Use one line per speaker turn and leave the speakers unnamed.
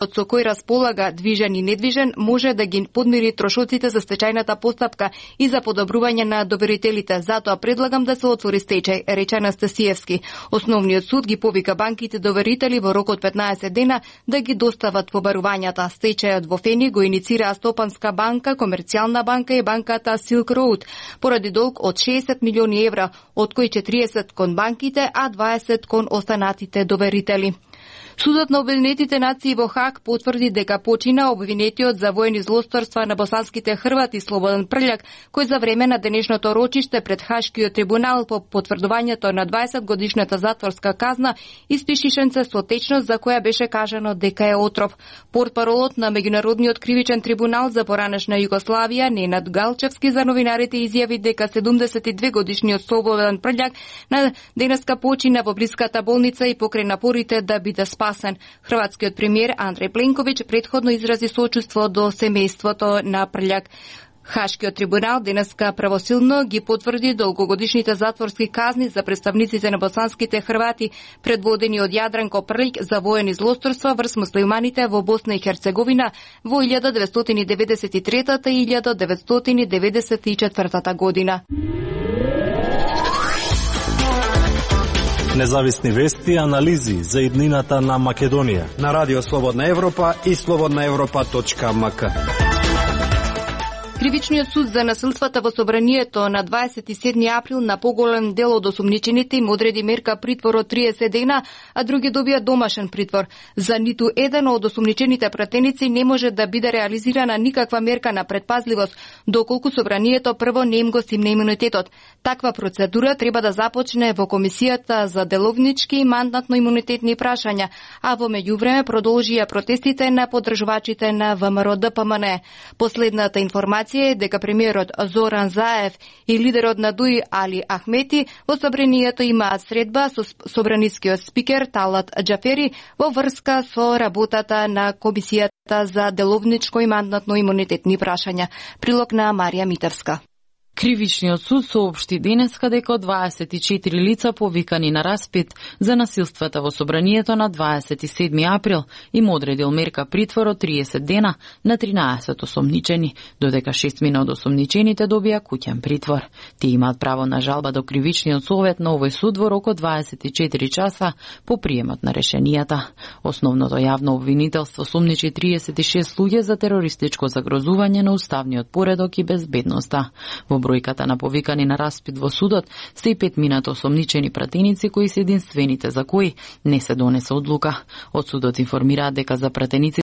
со кој располага движен и недвижен може да ги подмири трошоците за стечајната постапка и за подобрување на доверителите. Затоа предлагам да се отвори стечај, рече Анастасиевски. Основниот суд ги повика банките доверители во рок од 15 дена да ги достават побарувањата. Стечајот во Фени го иницира Стопанска банка, Комерцијална банка и банката Silk Road поради долг од 60 милиони евра, од кои 40 кон банките, а 20 кон останатите доверители. Судот на Обединетите нации во Хаг потврди дека почина обвинетиот за воени злосторства на босанските Хрвати Слободан Прљак, кој за време на денешното рочиште пред Хашкиот трибунал по потврдувањето на 20 годишната затворска казна испиши шенце со течност за која беше кажано дека е отров. Портпаролот на Меѓународниот кривичен трибунал за поранешна Југославија Ненад Галчевски за новинарите изјави дека 72 годишниот Слободан Прљак на денеска почина во блиската болница и покрај напорите да биде спасен. Хрватскиот премиер Андреј Пленковиќ претходно изрази сочувство до семејството на Прљак. Хашкиот трибунал денеска правосилно ги потврди долгогодишните затворски казни за представниците на босанските Хрвати, предводени од Јадранко Прљик за воени злосторства врз муслиманите во Босна и Херцеговина во 1993 и 1994 година.
Независни вести и анализи за иднината на Македонија
на Радио Слободна Европа и slobodnaevropa.mk.
Кривичниот суд за насилствата во собранието на 27 април на поголем дел од осумничените им одреди мерка притвор од 30 дена, а други добија домашен притвор. За ниту еден од осумничените пратеници не може да биде реализирана никаква мерка на предпазливост, доколку собранието прво не им го стимне имунитетот. Таква процедура треба да започне во Комисијата за деловнички и мандатно-имунитетни прашања, а во меѓувреме продолжија протестите на поддржувачите на ВМРО-ДПМН. Последната информација е дека премиерот Зоран Заев и лидерот на ДУИ Али Ахмети во собранието имаат средба со собранискиот спикер Талат Џафери во врска со работата на Комисијата за деловничко и мандатно-имунитетни прашања. Прилог на Марија Митевска.
Кривичниот суд соопшти денеска дека 24 лица повикани на распит за насилствата во собранието на 27 април им одредил мерка притвор од 30 дена на 13 осомничени, додека 6 од осомничените добија куќен притвор. Тие имаат право на жалба до Кривичниот совет на овој суд во рок од 24 часа по приемот на решенијата. Основното јавно обвинителство сумничи 36 луѓе за терористичко загрозување на уставниот поредок и безбедноста. Во бројката на повикани на распит во судот се и 5 осомничени пратеници кои се единствените за кои не се донесе одлука. Од судот информираат дека за пратеници